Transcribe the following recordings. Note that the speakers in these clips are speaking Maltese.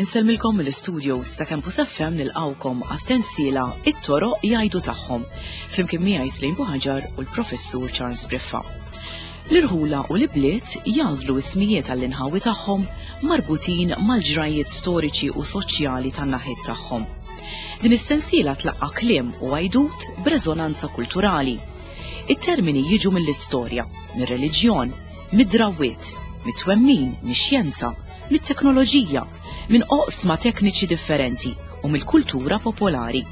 Insellmilkom mill-studios ta' Campus FM nilqawkom għas-sensiela It-toroq jgħidu tagħhom flimkien miegħi Slim Buħaġar u l-Professur Charles Briffa. L-irħula u l-ibliet jagħżlu ismijiet għall-inħawi tagħhom marbutin mal-ġrajjiet storiċi u soċjali tan-naħiet tagħhom. Din is-sensiela tlaqqa' kliem u għajdut b'reżonanza kulturali. It-termini jiġu mill-istorja, mir-reliġjon, mid-drawwiet, mit-twemmin, mix-xjenza, mit-teknoloġija, minn oqsma tekniċi differenti u mill-kultura popolari.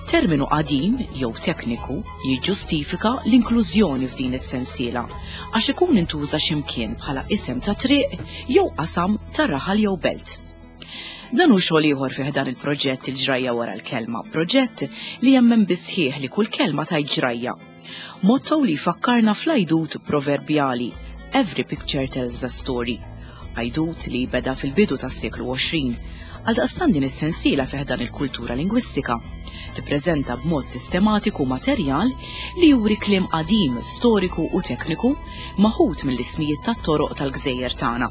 Terminu qadim jew tekniku jiġġustifika l-inklużjoni f'din is-sensiela għax ikun intuża x'imkien bħala isem ta' triq jew qasam ta' raħal jew belt. Dan hu xogħol ieħor fih dan il-proġett il-ġrajja wara l-kelma, proġett li jemmen bisħieħ li kull kelma tgħid ġrajja. Motto li jfakkarna fl-għajdut proverbjali Every picture tells a story. Għajdut li beda fil-bidu tas-seklu 20. Għaldaqstant din is-sensiela fih dan il-kultura lingwistika tippreżenta b'mod sistematiku materjal li juri kliem qadim, storiku u tekniku maħud mill-ismijiet tat-toroq tal-gżejjer tagħna.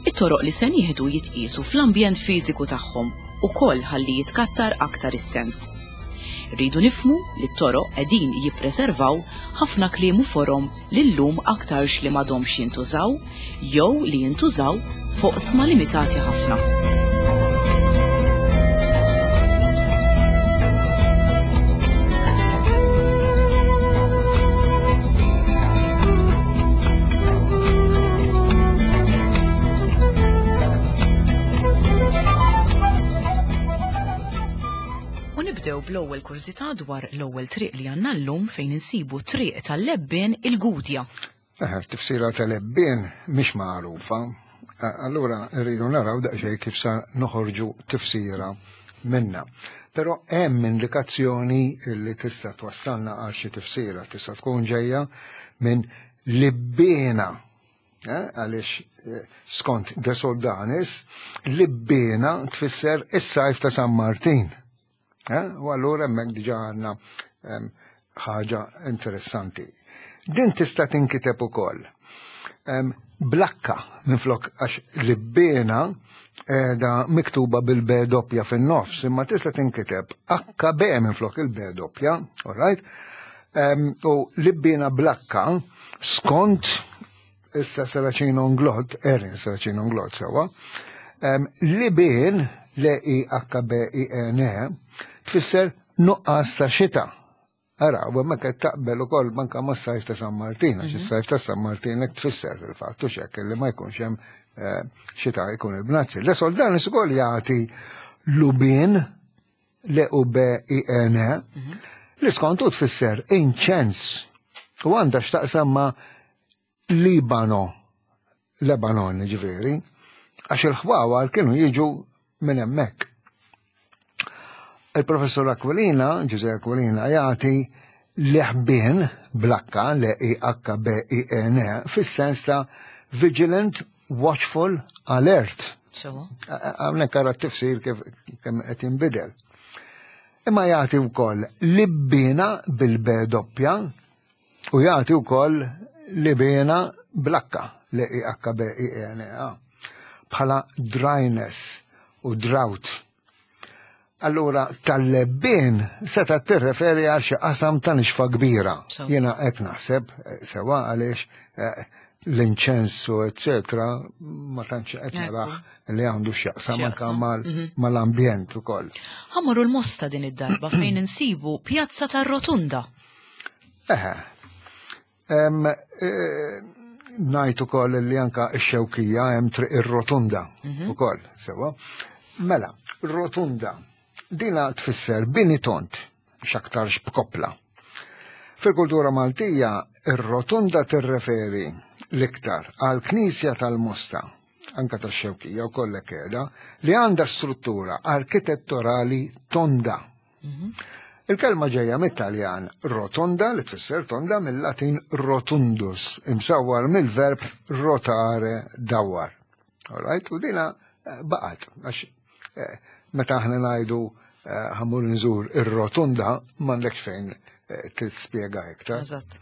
It-toroq li se nieħdu jitqiesu fl-ambjent fiżiku tagħhom ukoll ħalli jitkattar aktar is-sens. Rridu nifhmu li t-toroq qegħdin jippreservaw ħafna kliem u forom li llum aktarx li m'għadhomx jintużaw jew li jintużaw f'oqsma limitati ħafna. U nibdew bl-ewwel kurżità dwar l-ewwel triq li għandna llum fejn insibu triq tal-Lebbien il-Gudja. Eh, tifsira tal-Lebbien mhix magħrufa. Eh, allura rridu naraw daqsxejn kif sa noħorġu tifsira minna. Però hemm indikazzjoni li tista' twassalna għal xi tifsira, tista' tkun ġejja minn Libbiena Eh, għaliex eh, skont De Soldanis, Libbena tfisser is-sajf ta' San Martin. Eh, u allura hemmhekk diġà għandna ehm, ħaġa interessanti. Din tista' tinkiteb ukoll. Ehm, blakka minflok għax Libbena da miktuba bil-B doppja fin-nofs, imma tista' tinkiteb HB minflok il-B doppja, all right? Ehm, u Libbena blakka skont issa Saracino Nglot, Erin Saracino Nglot sewa, Libin, L-I-H-B-I-N-E, tfisser nuqqas ta' xita. Ara, u hemmhekk qed taqbel ukoll manka ma' sajf ta' San Martin, għax mhm. is-sajf ta' San Martin hekk tfisser fil-fatt u xekk li ma jkunx hemm eh, xita jkun il-bnazzi. Le soldanis ukoll jagħti lubin L-U-B-I-N-E, mhm. li skontu tfisser inċens u għandha x'taqsam ma' Libano, Lebanon ġifieri, għax il-ħwawar kienu jiġu minn hemmhekk. Il-professur Aquilina, Ġuże Aquilina, jagħti l-ħbien blakka, l-I-H-B-I-N-E, fis-sens ta' vigilant watchful alert. Hawnhekk ara t-tifsir kif kemm qed jinbidel. Imma jagħti wkoll libbina bil-B doppja u jagħti wkoll libina blakka l i h b i e n a bħala dryness u drought. Allura tal-lebbien seta' tirreferi għal xi qasam ta' nixfa kbira. Jiena hekk naħseb eh, sewa għaliex eh, l-inċensu, eccetera, ma tantx qed naraħ li għandu x'jaqsam anke mhm. mal-ambjent ukoll. Ħammorru l-mosta din id-darba fejn insibu Pjazza tar-Rotunda. Eħe, E, Najt ukoll li anka x-xewkija hemm triq ir-rotunda mhm. ukoll, sewa. Mela, rotunda dina tfisser bini tont x'aktarx b'koppla. Fil-kultura Maltija, ir-rotunda tirreferi l-iktar għal knisja tal-Mosta, anka tax-xewkija u kollek qiegħda, li għandha struttura arkitettorali tonda. Mhm. Il-kelma ġejja mit-Taljan rotonda li tfisser tonda mill-Latin rotundus, imsawwar mill-verb rotare dawwar. All right, u dina eh, baqgħet għax eh, meta aħna ngħidu ħa mmur nżur ir-rotunda m'għandekx fejn tispjega iktar. Eżatt.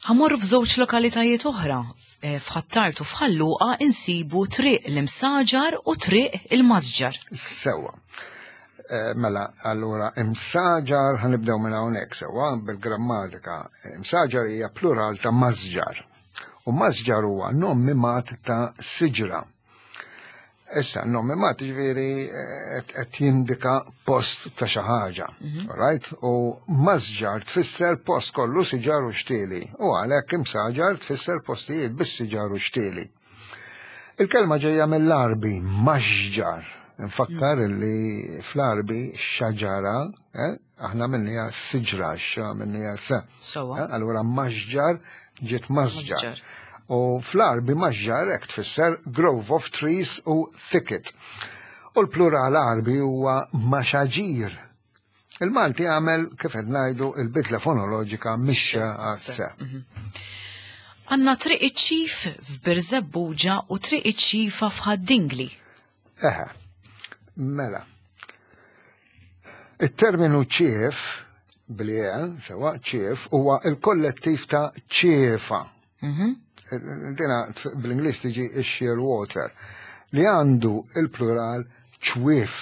Ħa mmorru f'żewġ lokalitajiet oħra, f'Ħ'Attard u f'Ħal Luqa insibu Triq l-Imsaġar u Triq il-Masġar. Sewwa. Mela, allura imsaġar ħa nibdew minn hawnhekk sewwa bil-grammatika. Imsaġar hija plural ta' masġar. U masġar huwa nom mimat ta' siġra. Issa, nom mimat ġifieri qed jindika post ta' xi ħaġa. Right? U masġar tfisser post kollu siġar u xtieli. U għalhekk imsaġar tfisser postijiet bis-siġar u xtieli. Il-kelma ġejja mill-Arbi, maxġar. Nfakkar li fl-Arbi xaġara, aħna minnija siġra, xa minnija sa. Allura maxġar ġiet masġar. Masġar. U fl-Arbi maxġar hekk tfisser grove of trees u thicket. U l-plural Arbi huwa maxaġir. Il-Malti għamel kif qed ngħidu il-bidla fonoloġika mixxa għas-se. Għandna Triq iċ-Ċif f'Birżebbuġa u Triq iċ-Ċifa f'Ħad-Dingli. Eħe, mela. Il-terminu ċief, bli-e, sewa ċief, huwa il-kollettiv ta' ċiefa. Dina bl-Ingliż tiġi sheer water, li għandu il-plural ċwief,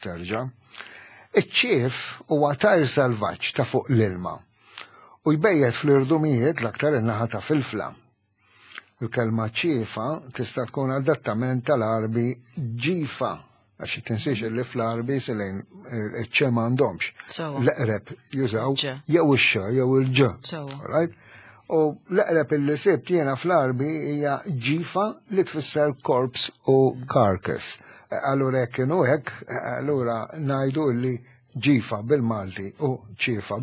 terġa'. Iċ-ċief huwa tajr salvaġġ ta' fuq l-ilma u jbejjet fl-irdumijiet l-aktar in-naħa ta' Filfla. Il-kelma ċiefa tista' tkun adattament tal-Arbi ġifa, għax tinsiex li fl-Arbi silejn iċ-ċe m'għandhomx. L-eqreb jużaw jew ix-x jew il-ġ. Right? U l-eqreb illi sibt jiena fl-Arbi hija ġifa li tfisser corpse u carcass. Allura hekk kienu hekk, allura ngħidu li ġifa bil-Malti u ċiefa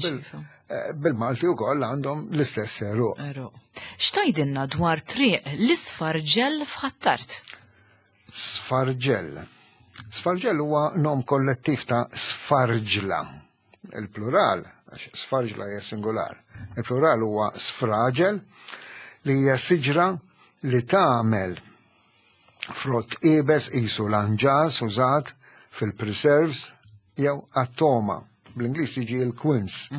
bil-Malti wkoll għandhom l-istess għeruq. Għeruq. X'tgħidilna dwar triq l-Isfarġell f'Ħ'Attard? Sfarġell. Sfarġell huwa nom kollettiv ta' sfarġla. Il-plural, għax sfarġla hija singular. Il-plural huwa sfraġel li hija siġra li tagħmel frott iebes qisu l-anġas użat fil-preserves jew għat-toma. Bl-Ingliż jiġi l-quince.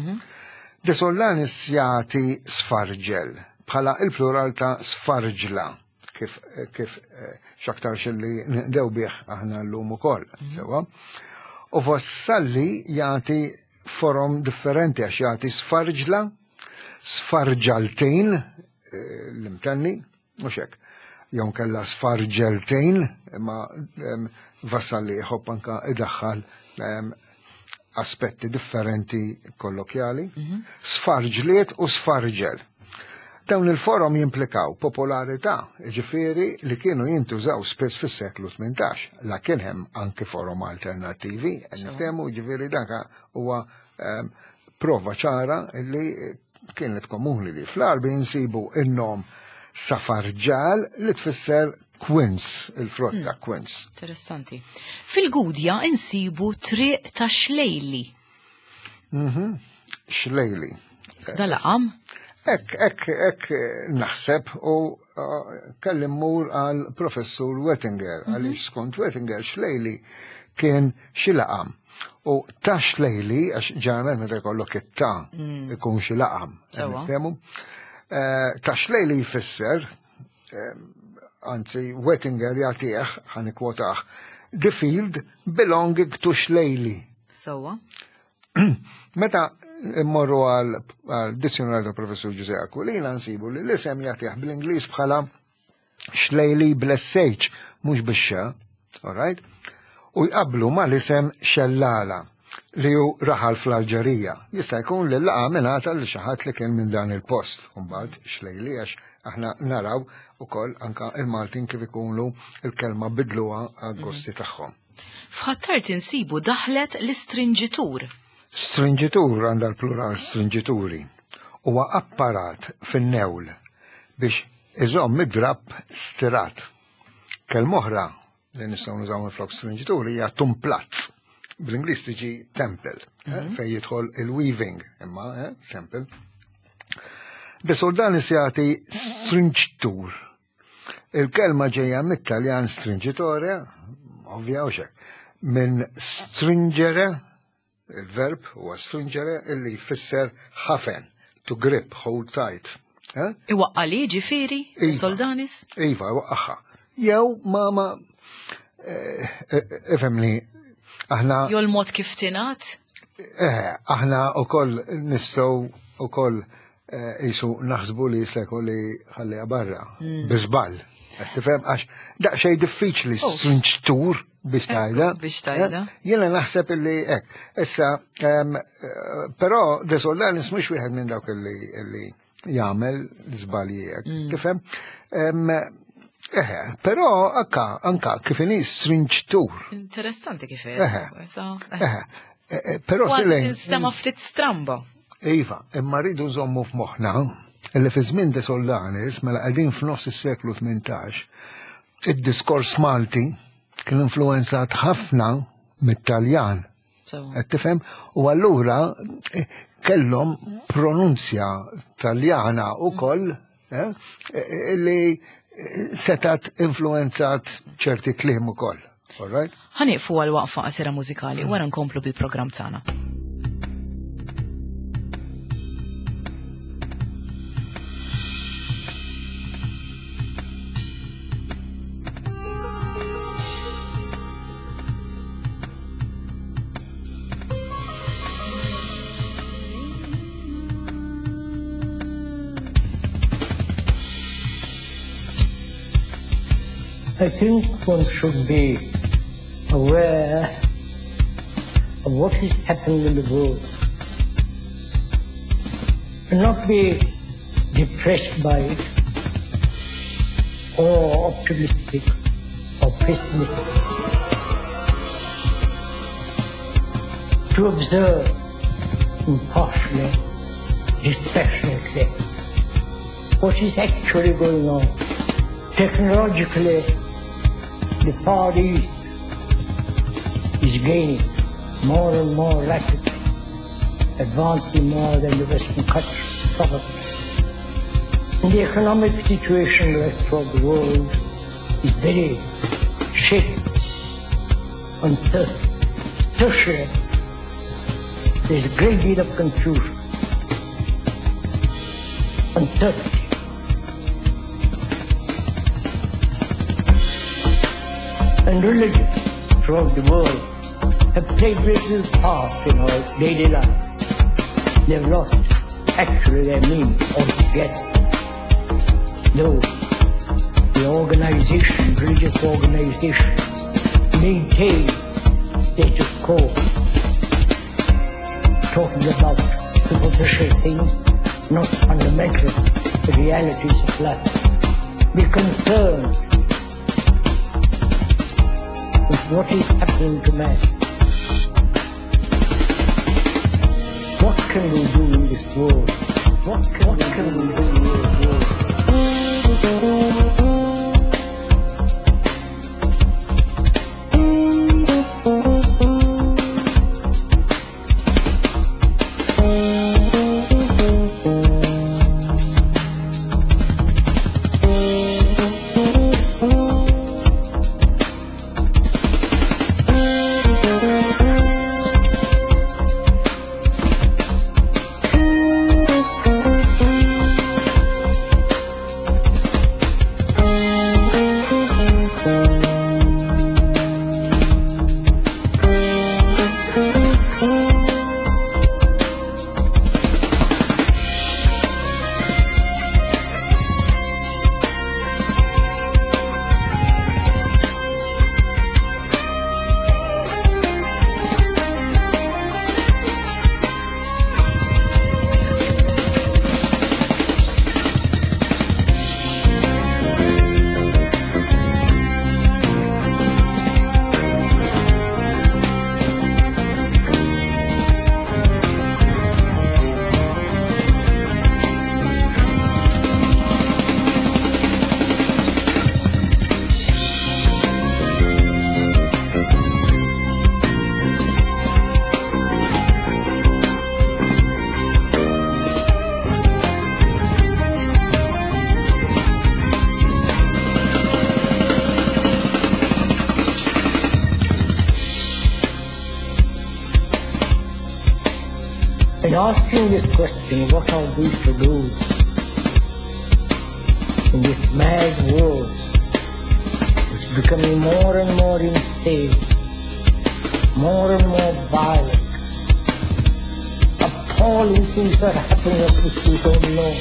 De Sollanis jagħti sfarġel bħala il-plural ta' sfarġla kif x'aktarx li nqdew bih aħna llum ukoll, sewwa. U Vassalli jagħti forom differenti għax jagħti sfarġla, sfarġaltejn, l-imtenni, mhux hekk. Jew kellha sfarġeltejn, imma Vassalli jħobb anka idaħħal aspetti differenti kollokjali, sfarġliet u sfarġel. Dawn il-forom jimplikaw popolarità, ġifieri li kienu jintużaw spiss fis-seklu 18, la kien hemm anki forom alternattivi, niftehmu ġifieri dak huwa prova ċara li kienet komuni li fl-Arbi nsibu in-nom safarġal li tfisser quince, il-frott ta' quince. Interessanti. Fil-Gudja insibu triq ta' Xlejli. Xlejli. Dal-laqam? Ek, naħseb u kelli mmur għal professur Wettinger, għaliex skont Wettinger Xlejli kien xi laqam. U ta' Xlejli, għax ġeneralment meta jkollok it-ta' ikun xi laqam. Niftehmu? Ta' Xlejli jfisser, anzi Wettinger jagħtih, ħa nikkwotah, the field belonging to Xlejli. Meta immorru għal dizzjonarju ta' professur Giuseppe Aquilina nsibu li l-isem jagħtih bl-Ingliż bħala Xlejli bl-SH, mhux bix-x, all right? U jqablu ma l-isem Xellala li hu raħal fl-Alġerija. Jista' jkun li laqa mingħata li xi ħadd li kien minn dan il-post. Mbagħad Xlejli għax aħna naraw ukoll anka il-Maltin kif ikunu il-kelma bidluha għal-gosti tagħhom. F'Ħ'Attard insibu daħlet l-istrinġitur. Strinġitur għandha l-plural strinġituri. Huwa apparat fin-newl biex iżomm id-drapp stirat. Kelma oħra li nistgħu nużaw minflok strinġituri hija tumplazz. Bl-Ingliż tiġi temple, fejn jidħol il-weaving, imma temple. De Soldanis jagħti strinġtur. Il-kelma ġejja mit-Taljan stringitore, ovvja u xek. minn stringere, il-verb huwa stringere illi jfisser ħafen, to grip, hold tight. Eh? Iwaqqa li ġifieri, Iva. Soldanis? Iva, waqqaħħa. Jew ma ifhimni aħna Jew l-mod kif tingħad? Aħna wkoll nistgħu ukoll jisu naħsbu li jista' jkun li ħalliha barra bi żball. Qed tifhem għax daqsxejn diffiċli Oh. strinġtur biex tajda. Biex tajda. Jiena naħseb illi hekk. Issa, però De Soldanis mhux wieħed minn dawk illi jagħmel żbalji hekk. Tifhem? Però anka kif inhi strinġtur. Interessanti kif Però Kważi Silene, tinstema' ftit stramba. Iva, imma rridu nżommu f'moħħna illi fi żmien De Soldanis, mela qegħdin f'nofs is-seklu 18, id-diskors Malti kien influenzat ħafna mit-Taljan. Qed tifhem? U allura kellhom pronunzja Taljana wkoll li setat influenzat ċerti kliem ukoll. All right? Ħa nieqfu għal waqfa qasira mużikali wara nkomplu bil-programm tagħna. I think one should be aware of what is happening in the world and not be depressed by it or optimistic or pessimistic. To observe impartially, dispassionately, what is actually going on. Technologically, the Far East is gaining more and more rapidly, advancing more than the Western countries, probably. And the economic situation throughout the world is very shaky, uncertain. Socially, there's a great deal of confusion, uncertainty. And religion throughout the world have played little part in our daily life. They've lost actually their meaning altogether. Though the organization, religious organizations, maintain status quo, talking about superficial things, not fundamental realities of life. Be concerned with what is happening to man. What can we do in this world? What can we do in this world? asking this question, what are we to do in this mad world, which is becoming more and more insane, more and more violent, appalling things are happening of which we don't know.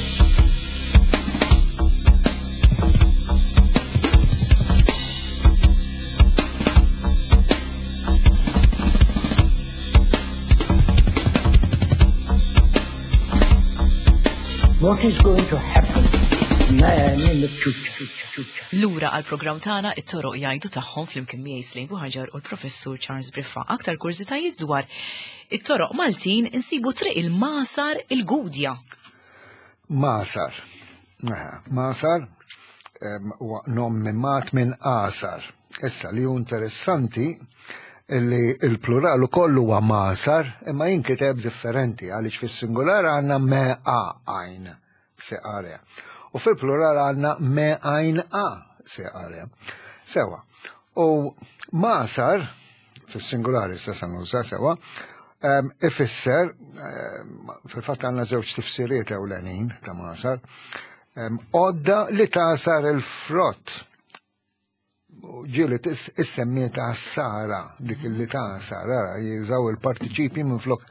What is going to happen to man in the future? Lura għal programm tagħna it-toroq jgħidu tagħhom flimkien miegħi Slejn Buħaġar u l-Professur Charles Briffa. Aktar kurżitajiet dwar it-toroq Maltin insibu triq il-Masar il-Gudja. Masar. Masar huwa nom mimmat minn Asar. Issa li hu interessanti li il-plural ukoll huwa masar imma jinkiteb differenti għaliex fis-singular għandna me a għajn se are. U fil-plural għandna me għajn a se are. Sewa. U masar fis-singolari issa se nuża sewa, ifisser fil-fatt għandna żewġ tifsiriet ewlenin ta' masar, għodda li tasar il-frott. Ġieli issemmiet għas-sara, dik li tasar, ara, jużaw il-partiċipji minflok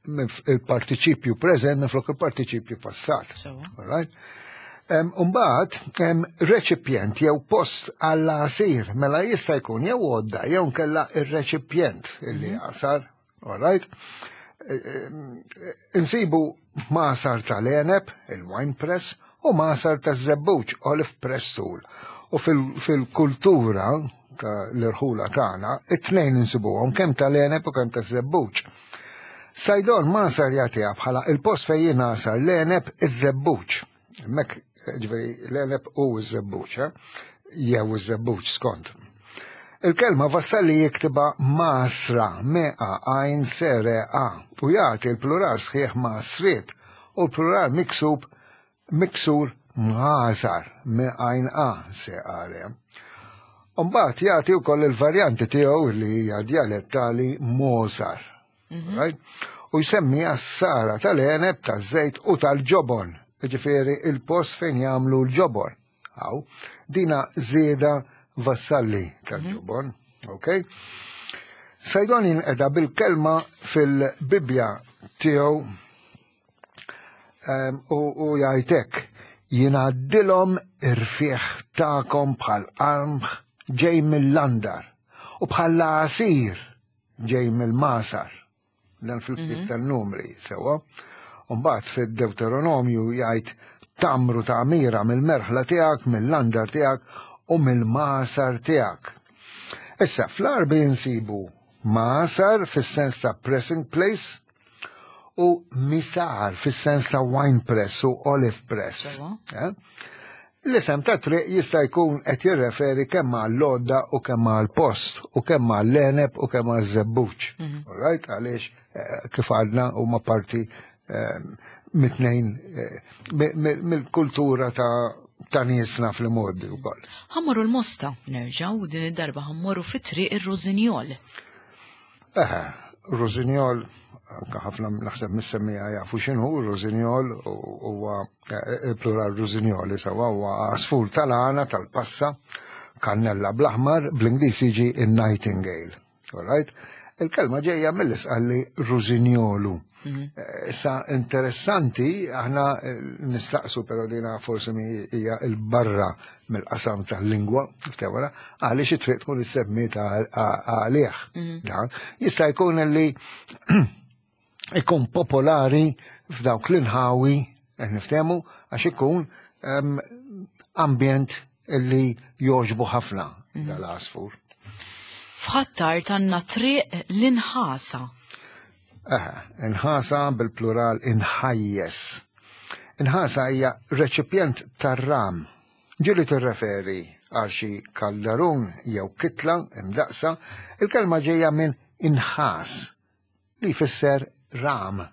il-partiċipju preżent minflok il-partiċipju passat. All right? Umbagħad reċipjent jew post għall-għasir, mela jista' jkun jew għodda jew nkella ir-reċipjent illi għasar, all right? Insibu masar tal-għeneb, il-wine press, u masar taż-żebbuġ, olive press tool. U fil-kultura ta' l-irħula tagħna, it-tnejn insibuhom kemm tal-għeneb u kemm taż-żebbuġ. Saydon masar jagħtiha bħala il-post fejn jingħasar l-għeneb iż-żebbuġ. Hemmhekk, ġifieri l-għeneb u ż-żebbuġ, jew iż-żebbuġ skont. Il-kelma Vassalli jiktibha masra, meqa għajn sere a, u jagħti l-plural sħiħ masriet u l-plural miksub miksur mħasar, me għajn a se are. Umbagħad jagħti wkoll il-varjanti tiegħu li hija dialettali mosar. Right? U jsemmi għas-sara tal-għeneb, taż-żejt u tal-ġobon, ġifieri il-post fejn jagħmlu l-ġobon. Aw, dina żieda Vassalli tal-ġobon, ok? Saydon jinqeda bil-kelma fil-Bibbja tiegħu u jgħidlek jingħaddilhom irfieħ tagħkom bħal qamħ ġej mill-andar u bħal għasir ġej mill-masar. Dan fil-ktieb tan-numri sewwa. Mbagħad fid-Deuteronomju jgħid tamru tagħmira mill-merħla tiegħek, mill-andar tiegħek u mill-masar tiegħek. Issa fl-Għarbi nsibu masar fis-sens ta' pressing place u misar fis-sens ta' wine press u olive press. L-isem ta' triq jista' jkun qed jirreferi kemm għall-għodda u kemm għall-post u kemm għall-għeneb u kemm għaż-żebbuġ. All right? Għaliex kif għadna huma parti mit-tnejn mill-kultura ta' niesna fl-modi wkoll. Ħa mmorru l-Mosta, nerġgħu din id-darba ħa mmorru fit-triq ir-Rużinjol. Eħe, Rużinjol, anka ħafna naħseb mis-semmija jafu x'inhu Rużinjol huwa il-plural Rużinjoli sewa huwa għasfur tal-għana tal-passa, kannella bl-aħmar, bl-Ingliż jiġi in-nightingale. All right? Il-kelma ġejja mill-isqalli Rużinjolu. Issa interessanti, aħna nistaqsu però dina forsi hija il-barra mill-qasam tal-lingwa, ftewara, għaliex it-triq tkun issemmiet għalih. Dan jista' jkun li ikun popolari f'dawk l-inħawi, qed niftehmu, għax ikun ambjent li joġbu ħafna dal-għasfur. F'Ħ'Attard għandna triq l-inħasa. Eħe, inħasa bil-plural inħajjes. Inħasa hija reċipjent tar-ram. Ġieli tirreferi għal xi kaldarun jew kitla imdaqsa, il-kelma ġejja minn inħas li jfisser ram.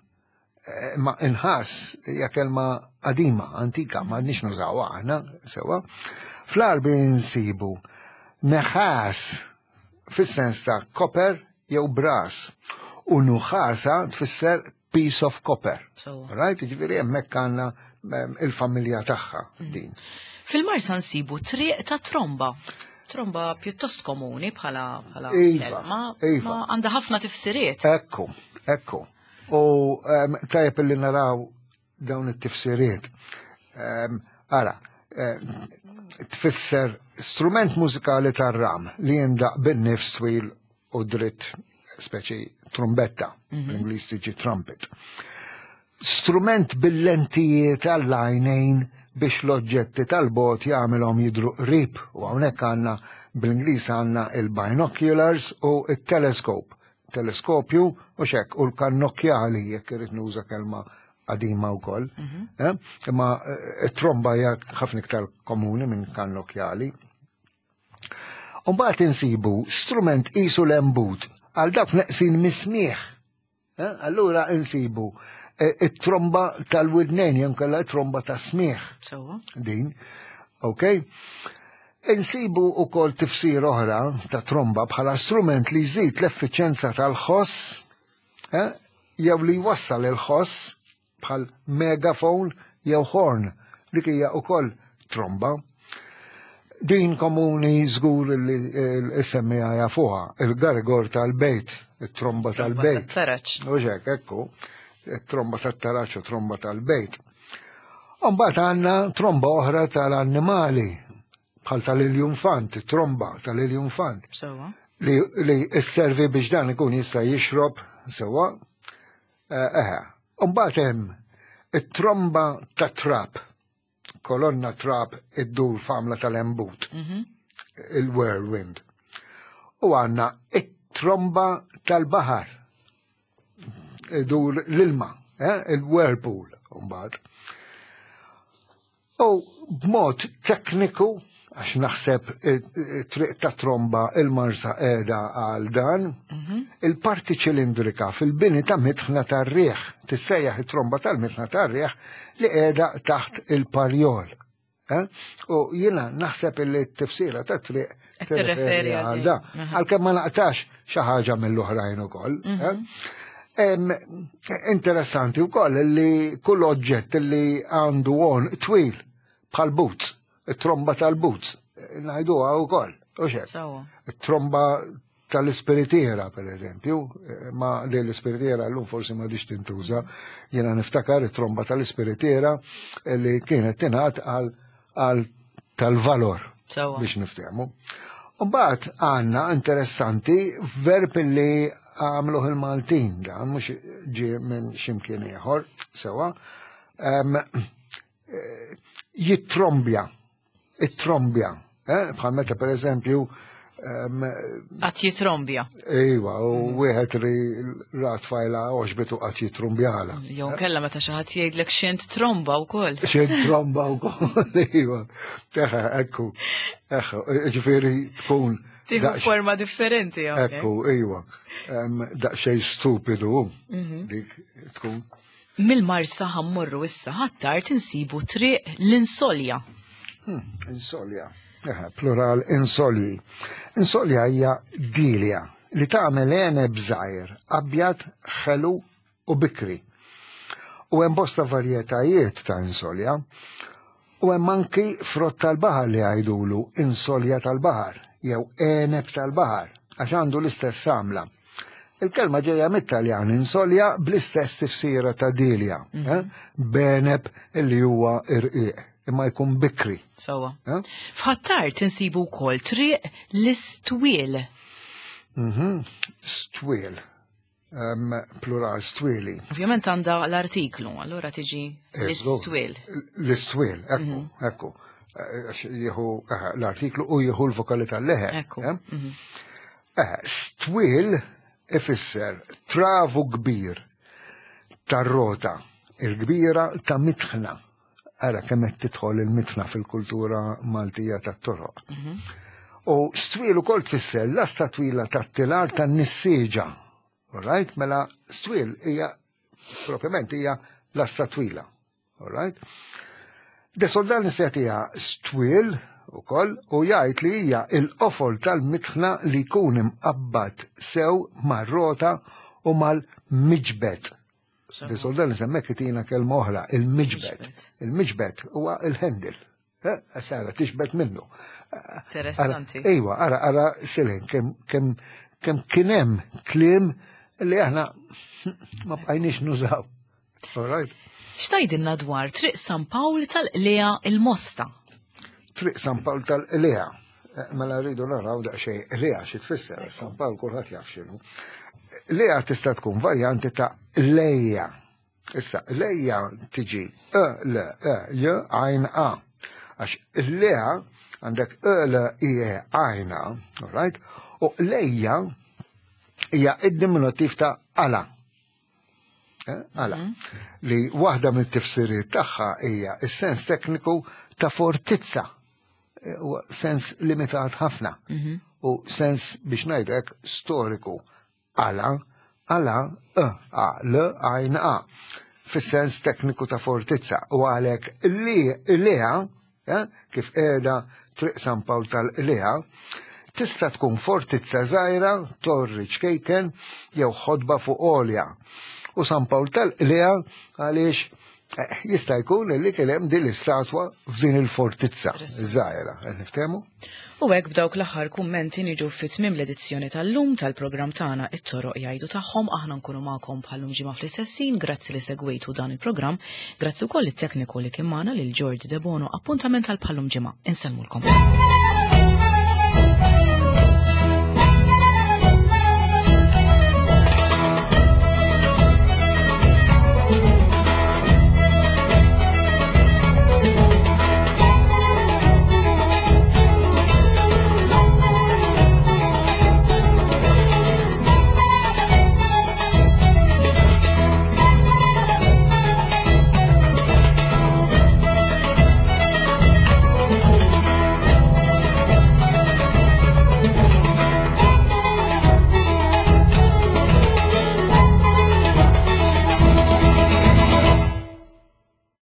Ma inħas hija kelma qadima, antika, ma nix nużawha aħna, sewa. Fl-Għarbi nsibu neħas fis-sens ta' koper jew bras u nuħasa tfisser piece of copper. Right? Ġifieri hemmhekk għandna il-familja tagħha din. Fil-Marsa nsibu triq ta' tromba. Tromba pjuttost komuni bħala bħala iva, kelma, iva. ma għandha ħafna tifsiriet. Ekku, ekku. U tajjeb li naraw dawn it-tifsiriet. Ara, tfisser strument mużikali tar-ram li jindaq bin-nifs twil u dritt speċi trumbetta, bl-Ingliż tiġi trumpet. Strument bil-lentijiet għall-għajnejn biex l-oġġetti tal-bot jagħmilhom jidru qrib u hawnhekk għandna bl-Ingliż għandna il-binoculars u il-telescope. Teleskopju u xek u l-kannokjali jekk irid nuża kelma qadima wkoll. Eh? Imma it-tromba hija ħafna iktar komuni minn kannokjali. Umbagħad insibu strument qisu l-embut għal dawk neqsin mis-smieħ. Eh? Allura insibu it-tromba tal-widnejn jew kellha it-tromba ta' smieħ. Sewwa. Din. Ok? Insibu ukoll tifsir oħra ta' tromba bħala strument li jżid l-effiċenza tal-ħoss eh? jew li jwassal il-ħoss bħal megafon jew horn. Dik hija ukoll tromba. Din komuni żgur li s-semmija jafuha, il-gargor tal-bejt, it-tromba tal-bejt. Taraċ. U hekk, ekku, it-tromba tat-taraċ u tromba tal-bejt. Mbagħad għandna tromba oħra tal-annimali, bħal tal-iljunfant, tromba tal-iljunfant, Sewwa. li, li sservi biex dan ikun jista' jixrob sewwa. Eħe. Mbagħad hemm it-tromba ta' trap, kolonna trap iddur f'għamla tal-embut, il-whirlwind. U għandna it-tromba tal-baħar, idur l-ilma, eh? il-whirlpool, mbagħad. U b'mod tekniku, għax naħseb triq ta' tromba il-Marsa qiegħda għal dan, il-parti ċilindrika fil-bini ta' mitħna tar-riħ, tissejjaħ it-tromba tal-mitħna tar-riħ li qiegħda taħt il-parjol. Eh? U jiena naħseb li t-tifsira ta' triq Qed tirreferi għal għal din. da. Għalkemm ma naqtax xi ħaġa mill-oħrajn ukoll. eh? Interessanti wkoll li kull oġġett li għandu għonq twil bħal boots, it-tromba tal-boots, ngħiduha wkoll. U xek. Sewwa. It-tromba tal-ispiritiera, per eżempju, ma li l-ispiritiera l-lum forsi ma diċ tintuża, jena niftakar it-tromba tal-ispiritiera li kienet tingħad għal tal-valor Sewwa. biex niftehmu. Mbagħad għandna interessanti verb li għamluh il-Maltin dan mhux ġie minn x'imkien ieħor sewwa. Jittrombja, it-trombja, eh? Bħal meta per eżempju Qatt jitrombja. Iva, u wieħed li ra tfajla għoġbitu qatt jitrumbjala. Jew kella meta xi ħadd jgħidlek x'int tromba wkoll. Xejn tromba u koll, iva. Eħe, ekku, eħe, ġifieri tkun. Tieħu forma differenti hawnhekk. Ekku, iva. Daqsxejn stupidu, dik tkun. Mill-Marsa ħa mmorru issa Ħ'Attard insibu triq l-Insolja. Insolja. Eħe, plural insolji. Insolja hija dilja li tagħmel għeneb żgħir, abjad, ħelu u bikri. U hemm bosta varjetajiet ta' insolja. U hemm anki frott tal-baħar li jgħidulu insolja tal-baħar jew għeneb tal-baħar għax għandu l-istess għamla. Il-kelma ġejja mit-Taljan insolja bl-istess tifsira ta' dilja, eh? B'għeneb illi huwa irqiq, imma jkun bikri. Sewwa. Eh? F'Ħ'Attard insibu wkoll triq l-Istwiel. Stwiel. Plural stwieli. Ovvjament għandha l-artiklu, allura tiġi l-Istwiel. L-Istwiel, ekku, ekku. Għax jieħu l-artiklu u jieħu l-vokali tal-leħe. Ekku. Eh? Stwiel ifisser travu kbir tar-rota, il-kbira ta' mitħna. Ara kemm qed tidħol il-mitħna fil-kultura Maltija tat-toroq. U stwiel ukoll tfisser lasta twila tat-tilar tan-nissieġa. All right? Mela stwiel hija propjament hija lasta twila. All right? De Soldan setiha stwiel ukoll u jgħid li hija il-qofol tal-mitħna li jkun imqabbad sew mar-rota u mal-miġbed. De Soldanis hemmhekk itina kelma oħra, il-miġbed. Il-miġbed huwa il-handle. Eh, sara tixbet minnu. Interessanti. Ejwa, ara, ara, Silin, kem, kem, kem kienem klim li aħna ma bqajniex nużaw. All right. Xtajdilna dwar Triq San Pawl tal-Qlea il-Mosta? Triq San Pawl tal-Qlea. Eh, mela rridu naraw daqsxejn Qlea xi tfisser, San Pawl kulħadd jaf x'inhu. Lea tista' tkun varjanti ta' lejja. Issa, lejja tiġi E, L, E, J, għajn A. Għax lea għandek E, L, I, E, għajn A, all right? U lejja hija id-diminutiv ta' ala. Eh, ala. Mhm. Li waħda mit-tifsiriet tagħha hija s-sens tekniku ta' fortizza. Eh, u sens limitat ħafna. Mhm. U sens biex ngħidlek storiku. Ala, ala, e, a, l, għajn, a. Fis-sens tekniku ta' fortizza. U għalhekk li lea, eh, kif qiegħda Triq San Pawl tal-Qlea, tista' tkun fortizza żgħira, torri ċkejken jew ħodba fuq għolja. U San Pawl tal-Qlea għaliex eh, jista' jkun li kien hemm din l-istatwa f'din il-fortizza żgħira. Qed niftehmu? U hekk b'dawk l-aħħar kummenti niġu fi tmiem l-edizzjoni tal-lum tal-programm tagħna It-Toroq Jgħidu Tagħhom. Aħna nkunu magħkom bħal-lum ġimgħa fl-istess ħin. Grazzi li segwejtu dan il-programm. Grazzi wkoll lit-tekniku li kien magħna lil Jordi Debono. Appuntament għal bħal-lum ġimgħa. Insellmulkom.